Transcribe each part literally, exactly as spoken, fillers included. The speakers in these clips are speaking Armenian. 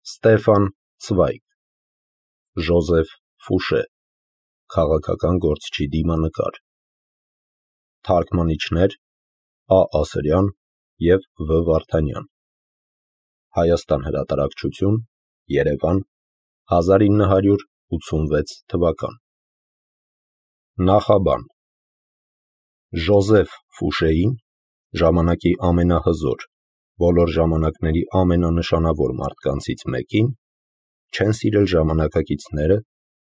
Ստեֆան Ցվայգ, Ժոզեֆ Ֆուշե, քաղաքական գործչի դիմանկար, թարգմանիչներ Ա. Ասրյան և Վ. Վարդանյան, Հայաստան հրատարակչություն, Երևան, հազար ինը հարյուր ութսունվեց թվական։ Նախաբան։ Ժոզեֆ Ֆուշեին, ժամանակի ամենահզոր, բոլոր ժամանակների ամենանշանավոր մարդկանցից մեկին, չեն սիրել ժամանակակիցները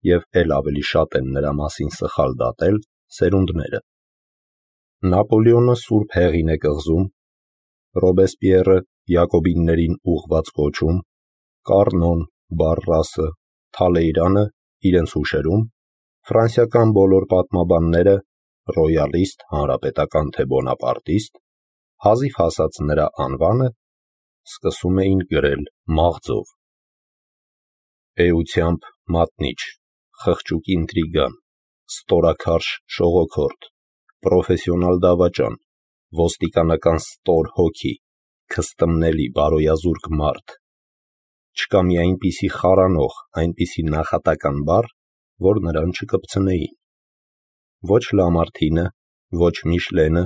և էլ ավելի շատ են նրա մասին սխալ դատել սերունդները։ Նապոլեոնը սուրբ հեղին է կղզում, Ռոբեսպիերը Յակոբիններին ուղղված կոչում, Կառնոն, Բարրասը, Թալեյրանը իրենց հուշերում, ֆրանսիական բոլոր պատմաբանները, ռոյալիստ, հանրապետական թե բոնապարտիստ, հազիվ հասած նրա անվանը, սկսում էին գրել մաղձով։ Էությամբ մատնիչ, խղճուկ ինտրիգան, ստորաքարշ շողոքորդ, պրոֆեսիոնալ դավաճան, ոստիկանական ստոր հոգի, քստմնելի բարոյազուրկ մարդ։ Չկա մի այնպիսի խարանող, այնպիսի նախատական բառ, որ նրան չկպցնեին։ Ոչ Լամարտինը, ոչ Միշլենը,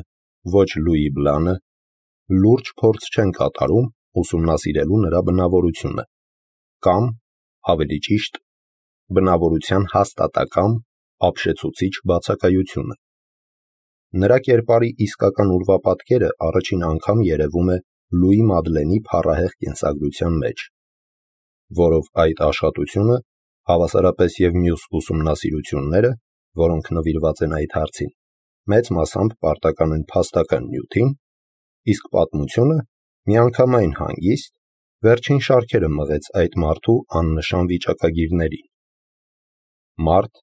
ոչ Լուի Բլանը լուրջ փորձ չեն կատարում ուսումնասիրելու նրա բնավորությունը, կամ, ավելի ճիշտ, բնավորության հաստատակամ, ապշեցուցիչ բացակայությունը։ Նրա կերպարի իսկական ուրվապատկերը առաջին անգամ երևում է Լուի Մադլենի փառահեղ կենսագրության մեջ, որով այդ աշխատությունը, հավասարապես և մյուս ուսումնասիրությունները, որոնք նվիրված են այդ հարցին, մեծ մասամբ պարտական են փաստական նյութին, իսկ պատմությունը միանգամայն հանգիստ վերջին շարքերը մղեց այդ մարդու աննշան վիճակագիրներին։ Մարդ,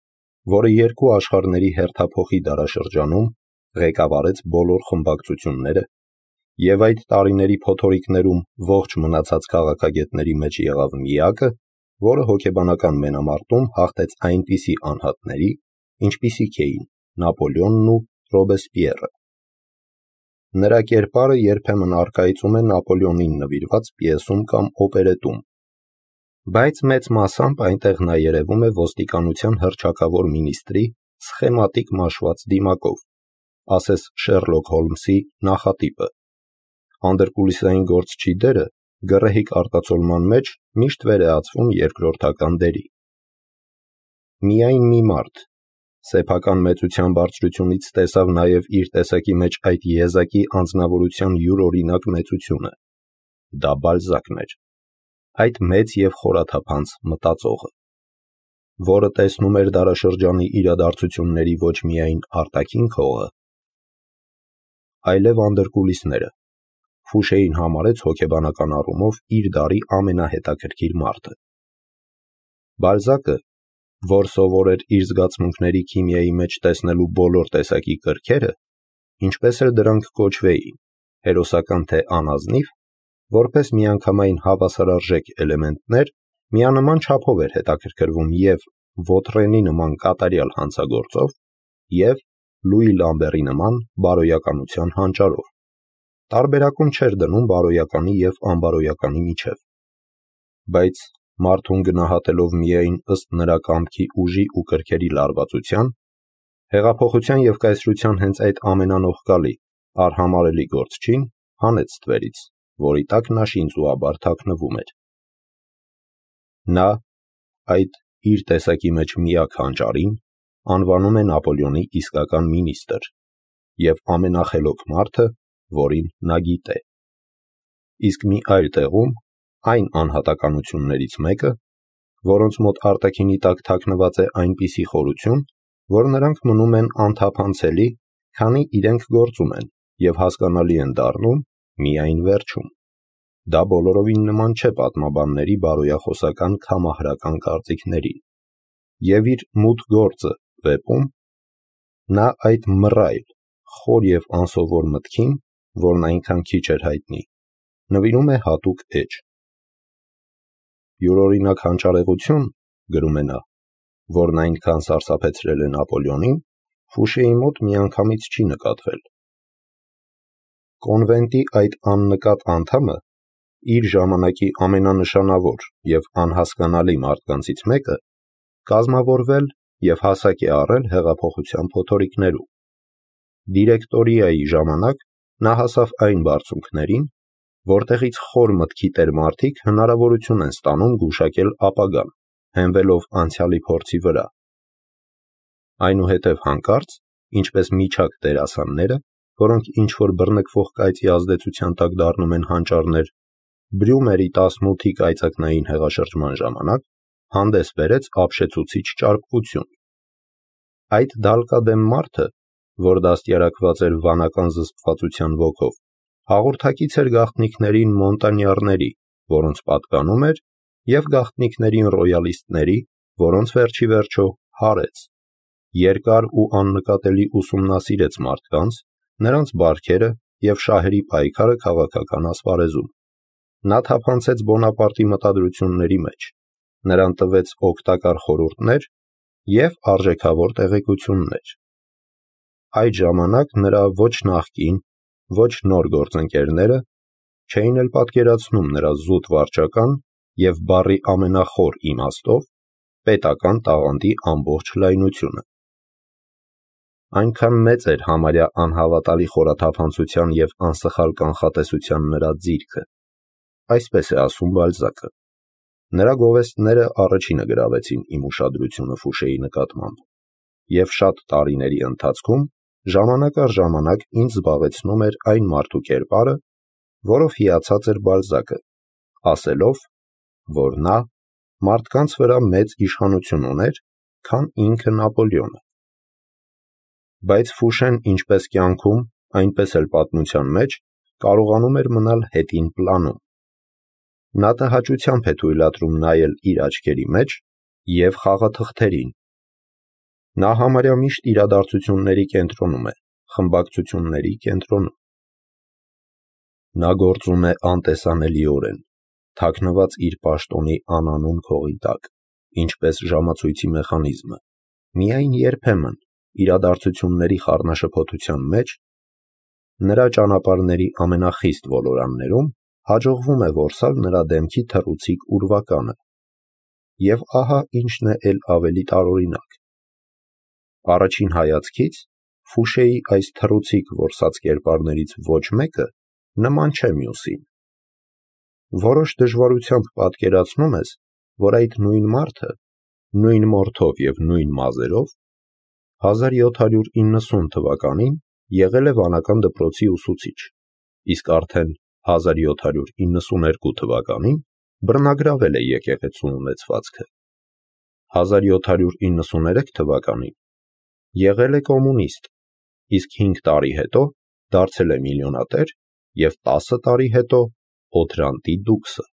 որը երկու աշխարհների հերթափոխի դարաշրջանում ղեկավարեց բոլոր խմբակցությունները և այդ տարիների փոթորիկներում ողջ մնացած քաղաքագետների մեջ եղավ միակը, որը հոգեբանական մենամարտում հաղթեց այնպիսի անհատների, ինչպիսիք էին Նապոլեոնն ու Ռոբեսպիերը։ Նրա կերպարը երբեմն առկայծում է Նապոլեոնին նվիրված պիեսում կամ օպերետում, բայց մեծ մասամբ այնտեղ նա երևում է ոստիկանության հռչակավոր մինիստրի սխեմատիկ մաշված դիմակով, ասես Շերլոք Հոլմսի նախատիպը։ Անդրկուլիսային գործչի դերը գռեհիկ արտացոլման մեջ միշտ վերեացվում երկրորդական դերի։ Միայն մի մարդ սեփական մեծության բարձրությունից տեսավ նաև իր տեսակի մեջ այդ եզակի անձնավորության յուրօրինակ մեծությունը։ Դա Բալզակն էր, այդ մեծ և խորաթափանց մտածողը, որը տեսնում էր դարաշրջանի իրադարձությունների ոչ միայն արտաքին քողը, այլև անդրկուլիսները։ Ֆուշեին համարեց հոգեբանական առումով իր դարի ամենահետաքրքիր մարդը։ Բալզակը, որ սովոր էր իր զգացմունքների քիմիայի մեջ տեսնելու բոլոր տեսակի կրքերը, ինչպես էլ դրանք կոչվեին, հերոսական թե անազնիվ, որպես միանգամայն հավասարարժեք էլեմենտներ, միանման չափով էր հետաքրքրվում և Վոտրենի նման կատարյալ հանցագործով, և Լուի Լամբերի նման բարոյականության հանճարով։ Տարբերակում չէր դնում բարոյականի և անբարոյականի միջև։ Բայց մարդուն գնահատելով միայն ըստ նրա կամքի ուժի ու կրքերի լարվածության, հեղափոխության և կայսրության հենց այդ ամենանողկալի, արհամարհելի գործչին հանեց ստվերից, որի տակ նա շինծուաբար թաքնվում էր։ Նա այդ իր տեսակի մեջ միակ հանճարին անվանում է Նապոլեոնի իսկական մինիստր և ամենախելոք մարդը, որին նա գիտե։ Իսկ մի այլ տեղում այն անհատականություններից մեկը, որոնց մոտ արտաքինի տակ թաքնված է այնպիսի խորություն, որ նրանք մնում են անթափանցելի, քանի իրենք գործում են և հասկանալի են դառնում միայն վերջում։ Դա բոլորովին նման չէ պատմաբանների բարոյախոսական քամահրական կարծիքներին, և իր «Մութ գործը» վեպում նա այդ մռայլ, խոր և անսովոր մտքին, որն այնքան քիչ էր հայտնի, նվիրում է հատուկ էջ։ Յուրօրինակ հանճարեղություն, գրում է նա, որն այնքան սարսափեցրել է Նապոլեոնին, Ֆուշեի մոտ միանգամից չի նկատվել։ Կոնվենտի այդ աննկատ անդամը իր ժամանակի ամենանշանավոր և անհասկանալի մարդկանցից մեկը կազմավորվել և հասակ է առել հեղափոխության փոթորիկներում։ Դիրեկտորիայի ժամանակ նա հասավ այն բարձունքներին, որտեղից խոր մտքի տեր մարդիկ հնարավորություն են ստանում գուշակել ապագան, հենվելով անցյալի փորձի վրա։ Այնուհետև հանկարծ, ինչպես միջակ դերասանները, որոնք ինչ-որ բռնկվող կայծի ազդեցության տակ դառնում են հանճարներ, Բրյումերի տասնութի կայծակնային հեղաշրջման ժամանակ հանդես բերեց ապշեցուցիչ ճարպկություն։ Այդ դալկադեմ մարդը, որ դաստիարակված էր վանական զսպվածության ոգով, հաղորդակից էր գաղտնիքներին մոնտանյարների, որոնց պատկանում էր, և գաղտնիքներին ռոյալիստների, որոնց վերջի վերջո հարեց, երկար ու աննկատելի ուսումնասիրեց մարդկանց, նրանց բարքերը և շահերի պայքարը քաղաքական ասպարեզում։ Նա թափանցեց Բոնապարտի մտադրությունների մեջ, նրան տվեց օգտակար խորհուրդներ և արժեքավոր տեղեկություններ։ Այդ ժամանակ նրա ոչ նախկին, ոչ նոր գործընկերները չէին էլ պատկերացնում նրա զուտ վարչական և բառի ամենախոր իմաստով պետական տաղանդի ամբողջ լայնությունը։ Այնքան մեծ էր համարյա անհավատալի խորաթափանցության և անսխալ կանխատեսության նրա ձիրքը։ Այսպես է ասում Բալզակը. նրա գովեստները առաջինը գրավեցին իմ ուշադրությունը Ֆուշեի նկատմամբ, և շատ տարիների ընթացքում ժամանակ առ ժամանակ ինձ զբաղեցնում էր այն մարդու կերպարը, որով հիացած էր Բալզակը, ասելով, որ նա մարդկանց վրա մեծ իշխանություն ուներ, քան ինքը Նապոլեոնը։ Բայց Ֆուշեն ինչպես կյանքում, այնպես էլ պատմության մեջ կարողանում էր մնալ հետին պլանում։ Նա տհաճությամբ է թույլատրում նայել իր աչքերի մեջ և խաղաթղթերին։ Նա համարյա միշտ իրադարձությունների կենտրոնում է, խմբակցությունների կենտրոնում։ Նա գործում է անտեսանելիորեն, թաքնված իր պաշտոնի անանուն քողի տակ, ինչպես ժամացույցի մեխանիզմը։ Միայն երբեմն, իրադարձությունների խառնաշփոթության մեջ, նրա ճանապարհների ամենախիստ ոլորաններում հաջողվում է որսալ նրա դեմքի թռուցիկ ուրվականը։ Եվ ահա ինչն է էլ ավելի տարօրինակ. առաջին հայացքից Ֆուշեի այս թռուցիկ որսած կերպարներից ոչ մեկը նման չէ մյուսին։ Որոշ դժվարությամբ պատկերացնում ես, որ այդ նույն մարդը, նույն մորթով և նույն մազերով, հազար յոթ հարյուր իննսուն թվականին եղել է վանական դպրոցի ուսուցիչ, իսկ արդեն հազար յոթ հարյուր իննսուներկու թվականին բռնագրավել է եկեղեցու ունեցվածքը, հազար յոթ հարյուր իննսուներեք թվականին եղել է կոմունիստ, իսկ հինգ տարի հետո դարձել է միլիոնատեր և տասը տարի հետո Օթրանտի դուքսը։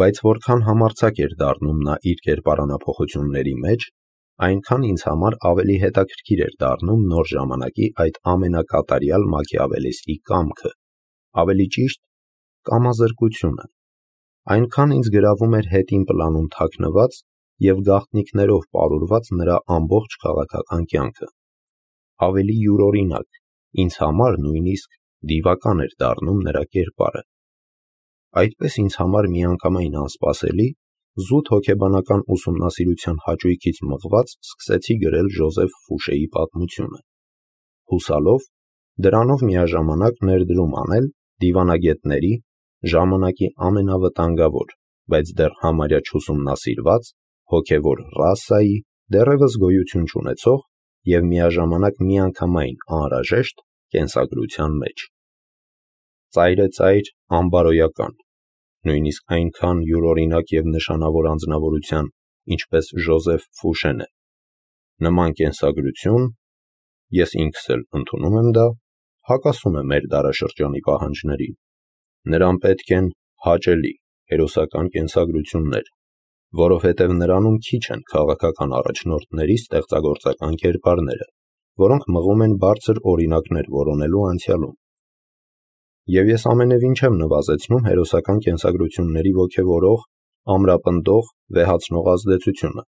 Բայց որքան համարձակ էր դառնում նա իր կերպարանափոխությունների մեջ, այնքան ինձ համար ավելի հետաքրքիր էր դառնում նոր ժամանակի այդ ամենակատարյալ մաքիավելիստի կամքը, ավելի ճիշտ կամազրկությունը, այնքան ինձ գրավում էր հետին պլանում թաքնված և գաղտնիքներով պարուրված նրա ամբողջ քաղաքական կյանքը։ Ավելի յուրօրինակ, ինձ համար նույնիսկ դիվական էր դառնում նրա կերպարը։ Այդպես ինձ համար միանգամայն անսպասելի, զուտ հոգեբանական ուսումնասիրության հաճույքից մղված սկսեցի գրել Ժոզեֆ Ֆուշեի պատմությունը, հուսալով դրանով միաժամանակ ներդրում անել դիվանագետների, ժամանակի ամենավտանգավոր, բայց դեռ համարյա չուսումնասիրված, հոգևոր ռասայի, դեռևս գոյություն չունեցող և միաժամանակ միանգամայն անհրաժեշտ կենսագրության մեջ։ Ծայրեծայր անբարոյական, նույնիսկ այնքան յուրօրինակ և նշանավոր անձնավորության, ինչպես Ժոզեֆ Ֆուշեն է, նման կենսագրություն, ես ինքս էլ ընդունում եմ դա, հակասում է մեր դարաշրջանի պահանջներին։ Նրան պետք են հաճելի, հերոսական կենսագրություններ, որովհետև նրանում քիչ են քաղաքական առաջնորդների ստեղծագործական կերպարները, որոնք մղում են բարձր օրինակներ որոնելու անցյալում։ Եվ ես ամենևին չեմ նվազեցնում հերոսական կենսագրությունների ոգևորող, ամրապնդող, վեհացնող ազդեցությունը։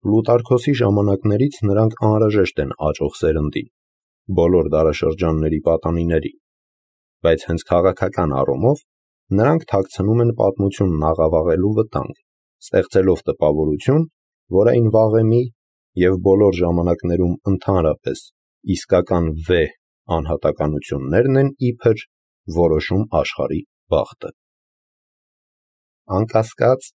Պլուտարքոսի ժամանակներից նրանք անհրաժեշտ են աճող սերնդին, բոլոր դարաշրջանների պատանիներին, բայց հենց քաղաքական առումով Նրանք թաքցնում են պատմությունն աղավաղելու վտանգ, ստեղծելով տպավորություն, որ այն վաղեմի և բոլոր ժամանակներում ընդհանրապես իսկական վեհ անհատականություններն են իբր որոշում աշխարհի բախտը։ Անկասկած,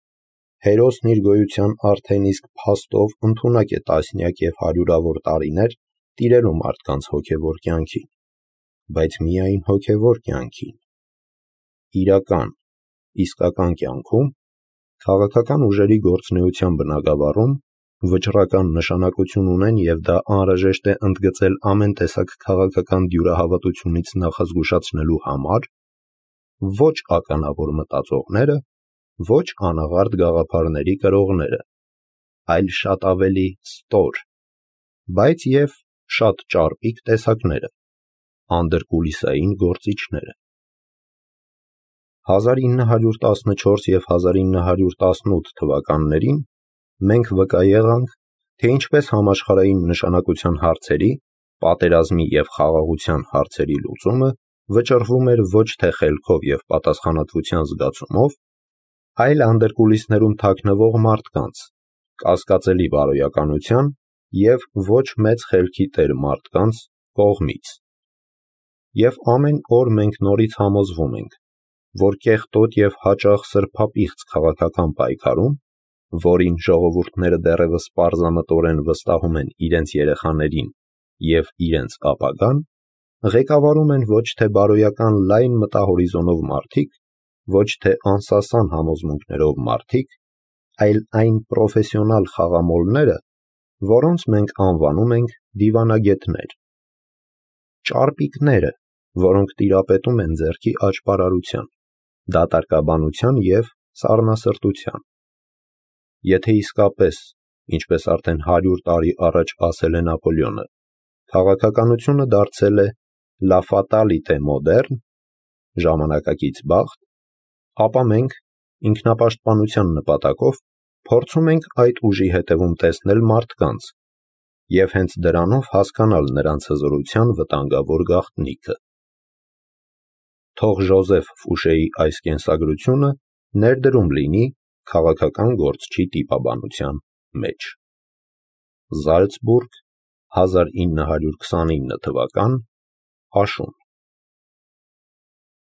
հերոսն իր գոյության արդեն իսկ փաստով ընդունակ է տասնյակ և հարյուրավոր տարիներ տիրելու մարդկանց հոգևոր կյանքին, բայց միայն հոգևոր կյանքին։ Իրական, իսկական կյանքում, քաղաքական ուժերի գործունեության բնագավառում վճռական նշանակություն ունեն և դա անհրաժեշտ է ընդգծել ամեն տեսակ քաղաքական դյուրահավատությունից նախազգուշացնելու համար, ոչ ականավոր մտածողները, ոչ անաղարտ գաղափարների կրողները, այլ շատ ավելի ստոր, բայց և շատ ճարպիկ տեսակները, անդրկուլիսային գործիչները։ հազար ինը հարյուր տասնչորս և հազար ինը հարյուր տասնութ թվականներին մենք վկա եղանք, թե ինչպես համաշխարհային նշանակության հարցերի, պատերազմի և խաղաղության հարցերի լուծումը վճռվում էր ոչ թե խելքով և պատասխանատվության զգացումով, այլ անդրկուլիսներում թաքնվող մարդկանց, կասկածելի բարոյականության և ոչ մեծ խելքի տեր մարդկանց կողմից։ Եվ ամեն օր մենք նորից համոզվում ենք, որ կեղտոտ և հաճախ սրբապիղծ քաղաքական պայքարում, որին ժողովուրդները դեռևս պարզամտորեն վստահում են իրենց երեխաներին և իրենց ապագան, ղեկավարում են ոչ թե բարոյական լայն մտահորիզոնով մարդիկ, ոչ թե անսասան համոզմունքներով մարդիկ, այլ այն պրոֆեսիոնալ խաղամոլները, որոնց մենք անվանում ենք դիվանագետներ, ճարպիկները, որոնք տիրապետում են ձեռքի աճպարարության, դատարկաբանության և սառնասրտության։ Եթե իսկապես, ինչպես արդեն հարյուր տարի առաջ ասել է Նապոլեոնը, քաղաքականությունը դարձել է «la fatalité moderne» ժամանակակից բախտ, ապա մենք, ինքնապաշտպանության նպատակով, փորձում ենք այդ ուժի հետևում տեսնել մարդկանց և հենց դրանով հասկանալ նրանց հզորության վտանգավոր գաղտնիքը։ Թող Ժոզեֆ Ֆուշեի այս կենսագրությունը ներդրում լինի քաղաքական գործչի տիպաբանության մեջ։ Զալցբուրգ, հազար ինը հարյուր քսանինը թվական, աշուն։